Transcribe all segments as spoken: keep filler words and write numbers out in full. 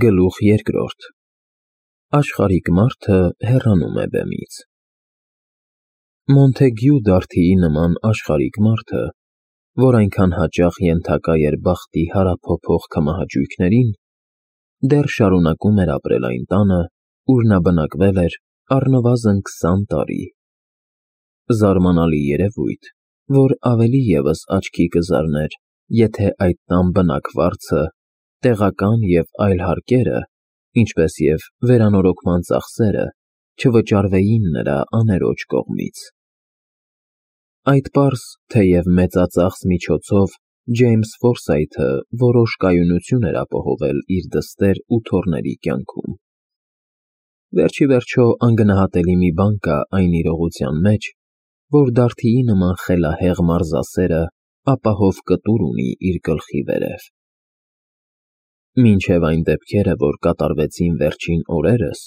Գլուխ երկրորդ Աշխարհիկ մարդը հեռանում է բեմից։ Մոնթեգյու Դարթիի նման աշխարհիկ մարդը, որ այնքան հաճախ ենթակա էր բախտի հարափոփող քմահաճույքներին, դեռ շարունակում էր ապրել այն տանը, ուր նա բնակվել էր առնվազն քսան տարի։ Զարմանալի երևույթ, որ ավելի ևս աչքի կզարներ, եթե այդ տան բնակվարձը, տեղական և այլ հարկերը, ինչպես և վերանորոգման ծախսերը, չվճարվեին նրա աներոջ կողմից։ Այդ պարզ, թեև մեծածախս միջոցով Ջեյմս Ֆորսայթը որոշ կայունություն էր ապահովել իր դստեր ու թոռների կյանքում։ Վերջիվերջո անգնահատելի մի բան կա այն իրողության մեջ, որ Դարթիի նման խելահեղ մարզասերը ապահով կտուր ունի իր գլխի վերև։ Մինչև այն դեպքերը, որ կատարվեցին վերջին օրերս,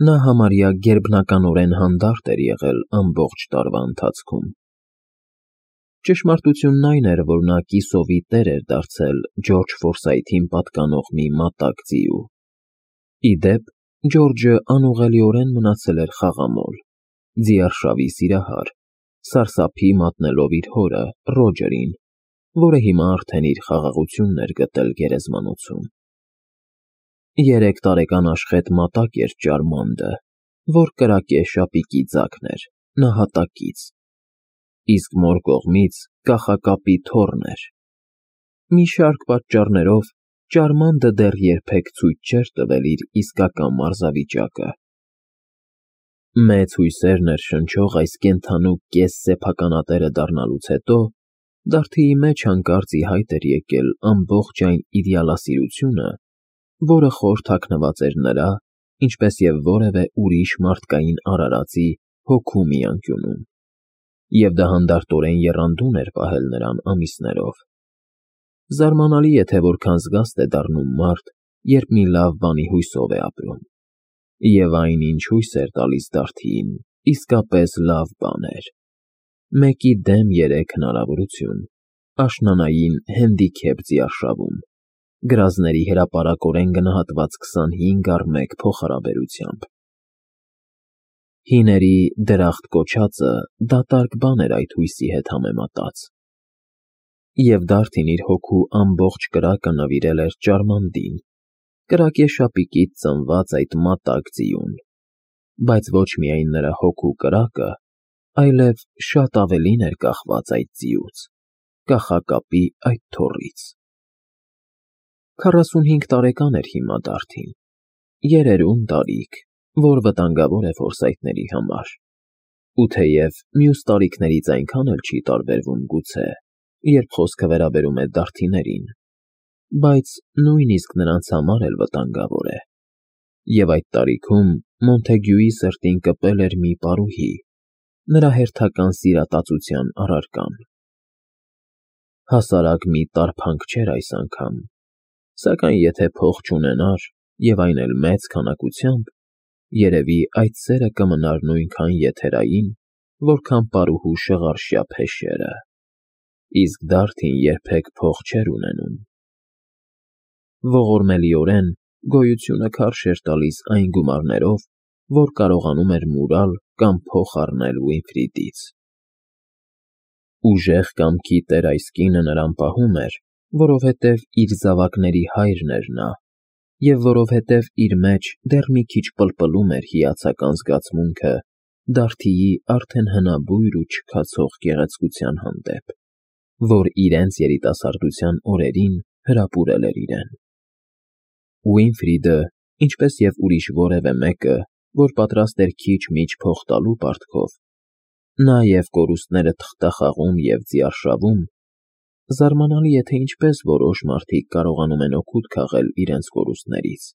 նա համարյա գերբնականորեն հանդարտ էր եղել ամբողջ տարվա ընթացքում։ Ճշմարտությունն այն էր, որ նա կիսովի տեր էր դարձել Ջորջ Ֆորսայթին պատկանող մի մատակ ձիու։ Ի դեպ, Ջորջը անուղղելիորեն մնացել էր խաղամոլ, ձիարշավի սիրահար, սարսափի մատնելով իր հորը՝ Ռոջերին, որը հիմա արդեն իր խաղաղությունն էր գտել գերեզմանոցում։ Երեք տարեկան աշխեհ մատակ էր Ճարմանդը, որ կրակե շապիկի ձագն էր, նահատակից, իսկ մոր կողմից կախակապի թոռն էր։ Մի շարք պատճառներով Ճարմանդը դեռ երբեք ցույց չէր տվել իր իսկական մարզավիճակը։ Մեծ հույսեր ներշնչող այս կենդանու կես֊սեփականատերը դառնալուց հետո Դարթիի մեջ հանկարծ ի հայտ էր եկել ամբողջ այն իդեալասիրությունը, որը խոր թաքնված էր նրա, ինչպես և որևէ ուրիշ մարդկային արարածի հոգու մի անկյունում, և դա հանդարտորեն եռանդուն էր պահել նրան ամիսներով։ Զարմանալի է, թե որքան զգաստ է դառնում մարդ, երբ մի լավ բանի հույսով է ապրում։ Եվ այն, ինչ հույս էր տալիս Դարթիին, իսկապես լավ բան էր։ Մեկի դեմ երեք հնարավորություն, աշնանային հենդիքեփ ձիարշավում, գրազների հրապարակորեն գնահատված քսանհինգ առ մեկ փոխհարաբերությամբ։ Հիների դրախտ կոչածը դատարկ բան էր այդ հույսի հետ համեմատած։ Եվ Դարթին իր հոգու ամբողջ կրակը նվիրել էր Ճարմանդին, կրակե շապիկից ծնված այդ մատակ ձիուն, բայց ոչ միայն նրա հոգու կրակը, այլև շատ ավելին էր կախված այդ ձիուց, կախակապի այդ թոռից։ Քառասունհինգ տարեկան էր հիմա Դարթին, երերուն տարիք, որ վտանգավոր է ֆորսայթների համար, ու թեև մյուս տարիքներից այնքան էլ չի տարբերվում գուցե, երբ խոսքը վերաբերում է դարթիներին, բայց նույնիսկ նրանց համար էլ վտանգավոր է։ Եվ այդ տարիքում Մոնթեգյուի սրտին կպել էր մի պարուհի, նրա հերթական սիրատացության առարկան։ Հասարակ մի տարփանք չէր այս անգամ, սակայն եթե փող չունենար, և այն էլ մեծ քանակությամբ, երևի այդ սերը կմնար նույնքան եթերային, որքան պարուհու շղարշյա փեշերը, իսկ Դարթին երբեք փող չէր ունենում։ Ողորմելիորեն գոյությունը քարշ էր տալիս այն գումարներով, որ կարողանում էր մուրալ կամ փոխ առնել Ուինֆրիդից։ Ուժեղ կամքի տեր այս կինը նրան պահում էր, որովհետև իր զավակների հայրն էր նա, և որովհետև իր մեջ դեռ մի քիչ պլպլում էր հիացական զգացմունքը Դարթիի արդեն հնաբույր ու չքացող գեղեցկության հանդեպ, որ իրենց երիտասարդության օրերին հրապուրել էր իրեն։ Ուինֆրիդը, ինչպես և ուրիշ որևէ մեկը, որ պատրաստ էր քիչ-միչ փող տալու պարտքով, նա և կորուստները թղթախաղում և ձիարշավում, զարմանալի է, թե ինչպես որոշ մարդիկ կարողանում են օգուտ քաղել իրենց կորուստներից։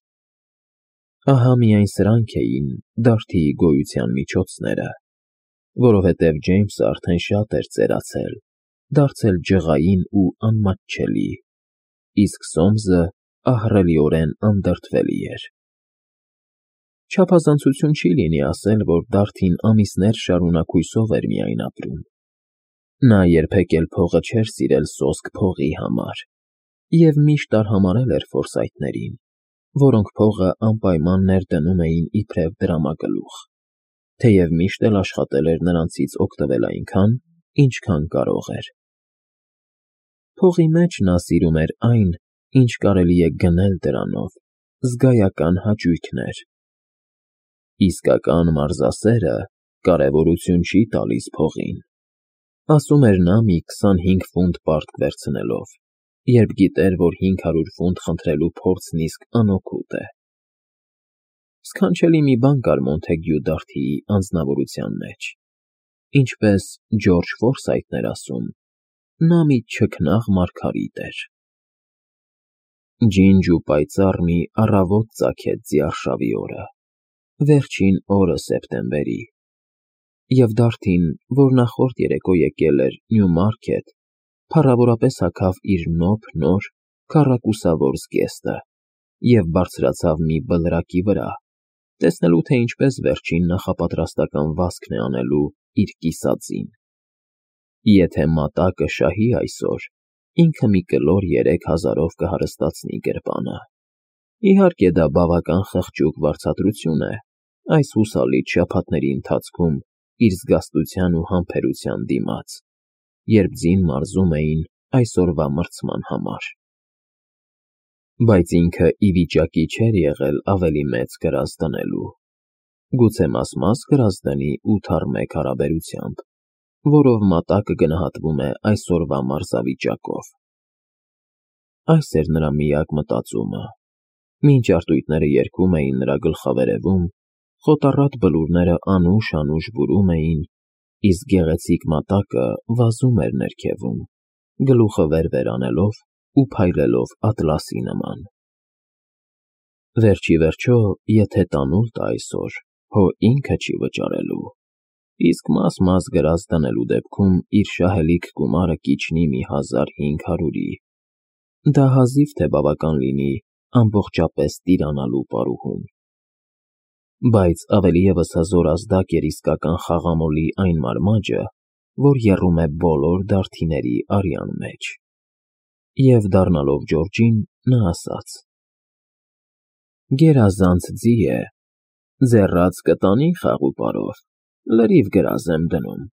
Ահա միայն սրանք էին Դարթիի գոյության միջոցները, որովհետև Ջեյմսը արդեն շատ էր ծերացել, դարձել ջղային ու անմատչելի, իսկ Սոմսը ահռելիորեն անդրդվելի էր։ Չափազանցություն չի լինի ասել, որ Դարթին ամիսներ շարունակ հույսով էր միայն ապրում։ Նա երբեք էլ փողը չէր սիրել սոսկ փողի համար և միշտ արհամարհել էր Ֆորսայթներին, որոնք փողը անպայման ներդնում էին իբրև դրամագլուխ, թեև միշտ էլ աշխատել էր նրանցից օգտվել այնքան, ինչքան կարող էր։ Փողի մեջ նա սիրում էր այն, ինչ կարելի է գնել դրանով, զգայական հաճույքներ։ Իսկական մարզասերը կարևորություն չի տալիս փողին, ասում էր նա մի քսանհինգ ֆունտ պարտք վերցնելով, երբ գիտեր, որ հինգ հարյուր ֆունտ խնդրելու փորձն իսկ անօգուտ է։ Սքանչելի մի բան կար Մոնթեգյու Դարթիի անձնավորության մեջ, ինչպես Ջորջ Ֆորսայթն էր ասում, նա մի չքնաղ մարգարիտ էր։ Ջինջ ու պայծառ մի առավոտ ծագեց ձիարշավի օրը, վերջին օրը սեպտեմբերի, և Դարթին, որ նախորդ երեկո եկել էր Նյումարքեթ, փառավորապես հագավ իր նոբ նոր քառակուսավոր զգեստը և բարձրացավ մի բլրակի վրա, տեսնելու, թե ինչպես վերջին նախապատրաստական վազքն է անելու իր կիսածին։ Եթե մատակը շահի այսօր, ինքը մի կլոր երեք հազարով կհարստացնի գրպանը։ Իհարկե դա բավական խղճուկ վարձատրություն է այս հուսալից շաբաթների ընթացքում իր զգաստության ու համբերության դիմաց, երբ ձին մարզում էին այսօրվա մրցման համար։ Բայց ինքը ի վիճակի չէր եղել ավելի մեծ կրակ դնելու, գուցե մաս-մաս կրակ դնի ութ առ մեկ հարաբերությամբ, որով մատակը գնահատվում է այսօրվա մարզավիճակով։ Այս էր նրա միակ մտածումը, մինչ արծույթները երգում էին նրա գլխավերևում, խոտառատ բլուրները անուշ-անուշ բուրում էին, իսկ գեղեցիկ մատակը վազում էր ներքևում, գլուխը վեր-վեր անելով ու փայլելով ատլասի նման։ Վերջ ի վերջո, եթե տանուլ տա այսօր, հո ինքը չի վճարելու, իսկ մաս-մաս գրած դնելու դեպքում իր շահելիք գումարը կիջնի մի հազար հինգ հարյուրի, դա հազիվ թե բավական լինի ամբողջապես տիրանալու պարուհուն։ Բայց ավելի ևս հզոր ազդակ էր իսկական խաղամոլի այն մարմաճը, որ եռում է բոլոր դարդիների արյան մեջ։ Եվ դառնալով Ջորջին, նա ասաց. «Գերազանց ձի է, ձեռաց կտանի խաղ ու պարով, լրիվ գրազ եմ դնում»։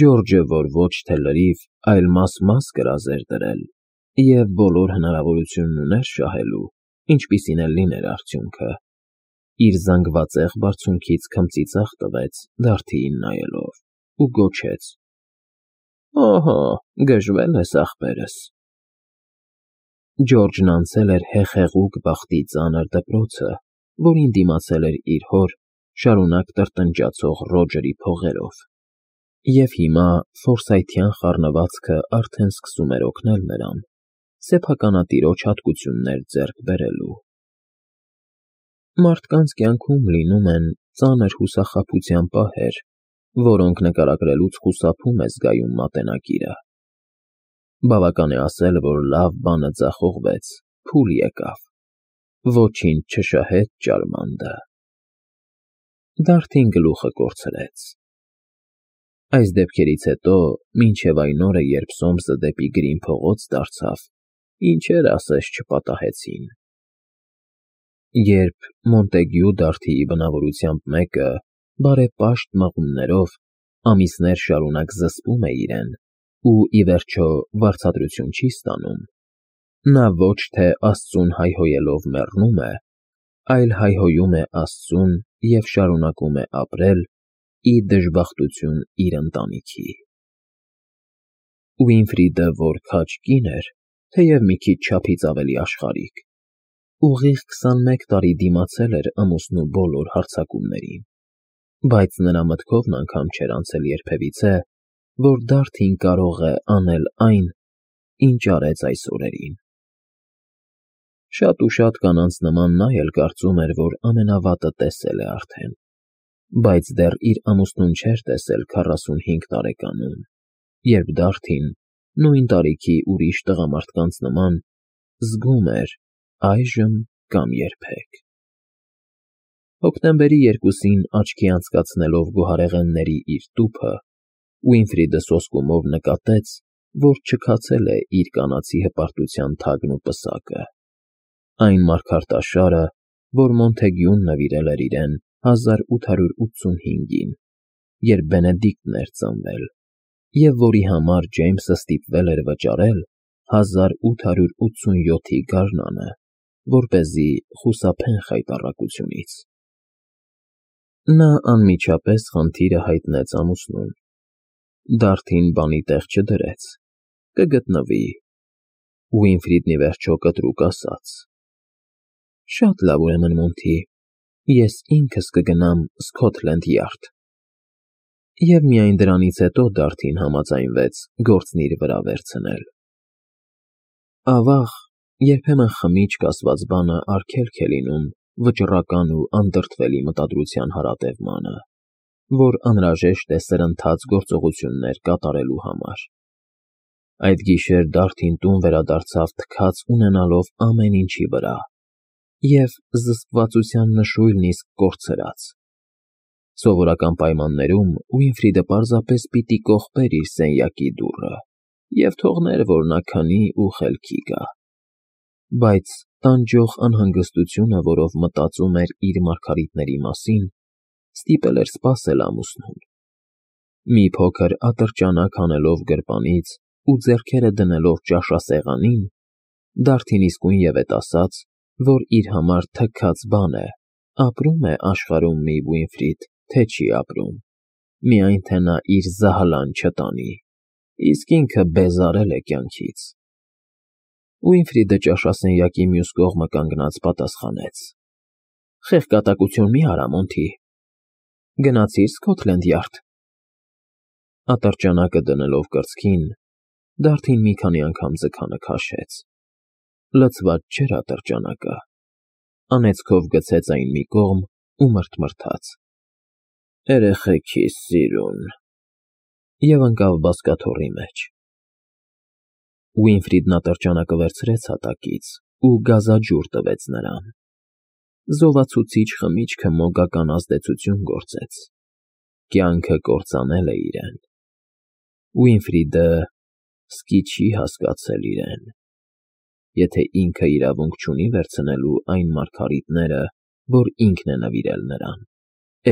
Ջորջը, որ ոչ թե լրիվ, այլ մաս-մաս գրազ էր դրել, և բոլոր հնարավորությունն ուներ շահելու, ինչպիսին էլ լիներ արդյունքը, իր զանգվածեղ բարձունքից քմծիծաղ տվեց Դարդիին նայելով ու գոչեց. «Օհո, գժվել ես, ախպերս»։ Ջորջն անցել էր հեղեղուկ բախտի ծանր դպրոցը, որին դիմացել էր իր հոր շարունակ տրտնջացող Ռոջերի փողերով, և հիմա ֆորսայթյան խառնվածքը արդեն սկսում էր օգնել նրան սեփականատիրոջ հատկություններ ձեռք բերելու։ Մարդկանց կյանքում լինում են ծանր հուսախաբության պահեր, որոնք նկարագրելուց խուսափում է զգայուն մատենակիրը։ Բավական է ասել, որ լավ բանը ձախողվեց, փուլ եկավ, ոչինչ չշահեց ճարմանդը։ Դարդին գլուխը կորցրեց։ Այս դեպքերից հետո, մինչև այն օրը, երբ Սոմսը դեպի Գրին փողոց դարձավ, ինչեր ասես չպատահեցին։ Երբ Մոնտեգյու Դարթիի բնավորությամբ մեկը, բարեպաշտ մղումներով, ամիսներ շարունակ զսպում է իրեն ու, ի վերջո, վարձատրություն չի ստանում, նա ոչ թե Աստծուն հայհոյելով մեռնում է, այլ հայհոյում է Աստծուն և շարունակում է ապրել ի դժբախտություն իր ընտանիքի։ Ուինֆրիդը, որ քաջ կին էր, թեև մի քիչ չափից ավելի աշխարհիկ, ուղիղ քսանմեկ տարի դիմացել էր ամուսնու բոլոր հարձակումներին, բայց նրա մտքովն անգամ չէր անցել երբևիցե, որ Դարդին կարող է անել այն, ինչ արեց այս օրերին։ Շատ ու շատ կանանց նման նա էլ կարծում էր, որ ամենավատը տեսել է արդեն, բայց դեռ իր ամուսնուն չէր տեսել քառասունհինգ տարեկանում, երբ Դարդին, նույն տարիքի ուրիշ տղամարդկանց նման, զգում էր այժմ կամ երբեք։ Հոկտեմբերի երկուսին աչքի անցկացնելով գոհարեղենների իր տուփը, Ուինֆրիդը սոսկումով նկատեց, որ չքացել է իր կանացի հպարտության թագն ու պսակը, Այն մարգարտաշարը, որ Մոնթեգյուն նվիրել էր իրեն հազար ութ հարյուր ութսունհինգին, երբ Բենեդիկտն էր ծնվել, և որի համար Ջեյմսը ստիպվել էր վճարել հազար ութ հարյուր ութսունյոթի գարնանը, որպեսզի խուսափեն խայտառակությունից։ Նա անմիջապես խնդիրը հայտնեց ամուսնուն։ Դարդին բանի տեղ չդրեց, կգտնվի։ Ուինֆրիդն ի վերջո կտրուկ ասաց. «Շատ լավ, ուրեմն, Մոնթի, ես ինքս կգնամ Սքոթլենդ Յարդ»։ Եվ միայն դրանից հետո Դարդին համաձայնվեց գործն իր վրա վերցնել։ Ավաղ, երբեմն խմիչք ասված բանը արգելք է լինում վճռական ու անդրդվելի մտադրության հարատևմանը, որ անհրաժեշտ է սրընթաց գործողություններ կատարելու համար։ Այդ գիշեր Դարդին տուն վերադարձավ թքած ունենալով ամեն ինչի վրա և զսպվածության նշույլն իսկ կորցրած։ Սովորական պայմաններում Ուինֆրիդը պարզապես պիտի կողպեր իր սենյակի դուռը և թողներ, որ նա քնի ու խելքի գա։ Բայց տանջող անհանգստությունը, որով մտածում էր իր մարգարիտների մասին, ստիպել էր սպասել ամուսնուն։ Մի փոքր ատրճանակ հանելով գրպանից ու ձեռքերը դնելով ճաշասեղանին, Դարդին իսկույն ևեթ ասաց, որ իր համար թքած բան է, ապրում է աշխարհում մի Ուինֆրիդ, թե չի ապրում, միայն թե նա իր զահալան չտանի, իսկ ինքը բեզարել է կյանքից։ Ուինֆրիդը ճաշասենյակի մյուս կողմը կանգնած պատասխանեց. «Խեղճատակություն մի արա, Մոնթի, գնացի՞ր Սքոթլենդ Յարդ»։ Ատրճանակը դնելով կրծքին, Դարդին մի քանի անգամ ձգանը քաշեց։ Լցված չէր ատրճանակը, անեծքով գցեց այն մի կողմ ու մռթմռթաց. «Էրեխեքիս սիրուն» և ընկավ բազկաթոռի մեջ։ Ուինֆրիդն ատրճանակը վերցրեց հատակից ու գազաջուր տվեց նրան։ Զովացուցիչ խմիչքը մոգական ազդեցություն գործեց։ Կյանքը կործանել է իրեն։ Ուինֆրիդը սկի չի հասկացել իրեն, եթե ինքը իրավունք չունի վերցնելու այն մարգարիտները, որ ինքն է նվիրել նրան,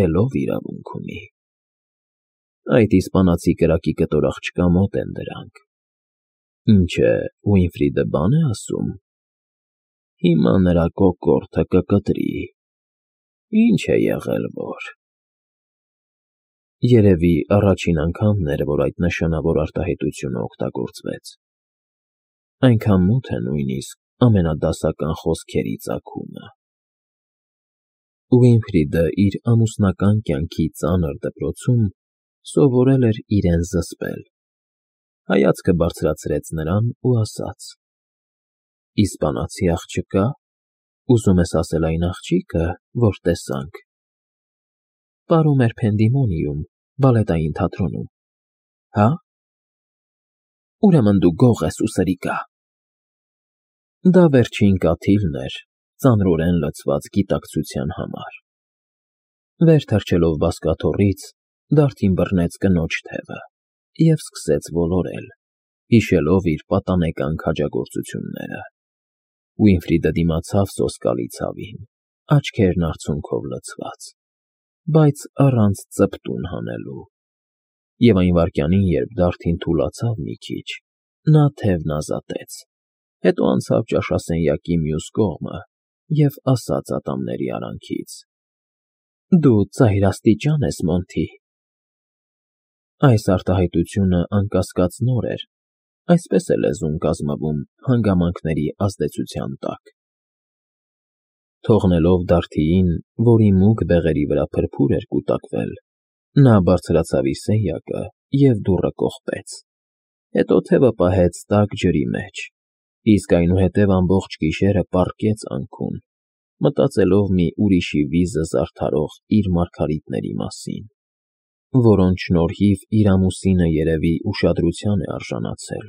էլով իրավունք ունի։ Այդ իսպանացի կրակի կտոր աղջկա մոտ են դրանք։ Ինչ է, Ուինֆրիդը բան է ասում։ Հիմա նրա կոկորդը կկտրի։ Ինչ է եղել, որ… Երևի առաջին անգամն էր, որ այդ նշանավոր արտահայտությունը օգտագործվեց։ Այնքան մոտ է նույնիսկ ամենադասական խոսքերի ծագումը։ Ուինֆրիդը իր ամուսնական կյանքի ծանր դպրոցում սովորել էր իրեն զսպել։ Հայացքը բարձրացրեց նրան ու ասաց. «Իսպանացի աղջկա՞, ուզում ես ասել այն աղջիկը, որ տեսանք»։ Պարում էր Փենդիմոնիում, բալետային թատրոնում, հա՞։ Ուրեմն դու գող ես ու սրիկա։ Դա վերջին կաթիլն էր ծանրորեն լցված գիտակցության համար։ Վեր թռչելով բազկաթոռից, Դարդին բռնեց կնոջ թևը և սկսեց ոլորել, հիշելով իր պատանեկան քաջագործությունները։ Ուինֆրիդը դիմացավ սոսկալի ցավին, աչքերն արցունքով լցված, բայց առանց ծպտուն հանելու։ Եվ այն վայրկյանին, երբ Դարդին թուլացավ մի քիչ, նա թևն ազատեց, հետո անցավ ճաշասենյակի մյուս կողմը և ասաց ատամների արանքից. «Դու ծայրաստիճան ես, Մոնթի»։ Այս արտահայտությունը անկասկած նոր էր, այսպես է լեզուն կազմվում հանգամանքների ազդեցության տակ։ Թողնելով Դարդիին, որի մուգ բեղերի վրա փրփուր էր կուտակվել, նա բարձրացավ իր սենյակը և դուռը կողպեց, հետո թևը պահեց տաք ջրի մեջ, իսկ այնուհետև ամբողջ գիշերը պառկեց անքուն, մտածելով մի ուրիշի վիզը զարդարող իր մարգարիտների մասին, որոնց շնորհիվ իր ամուսինը երևի ուշադրության է արժանացել։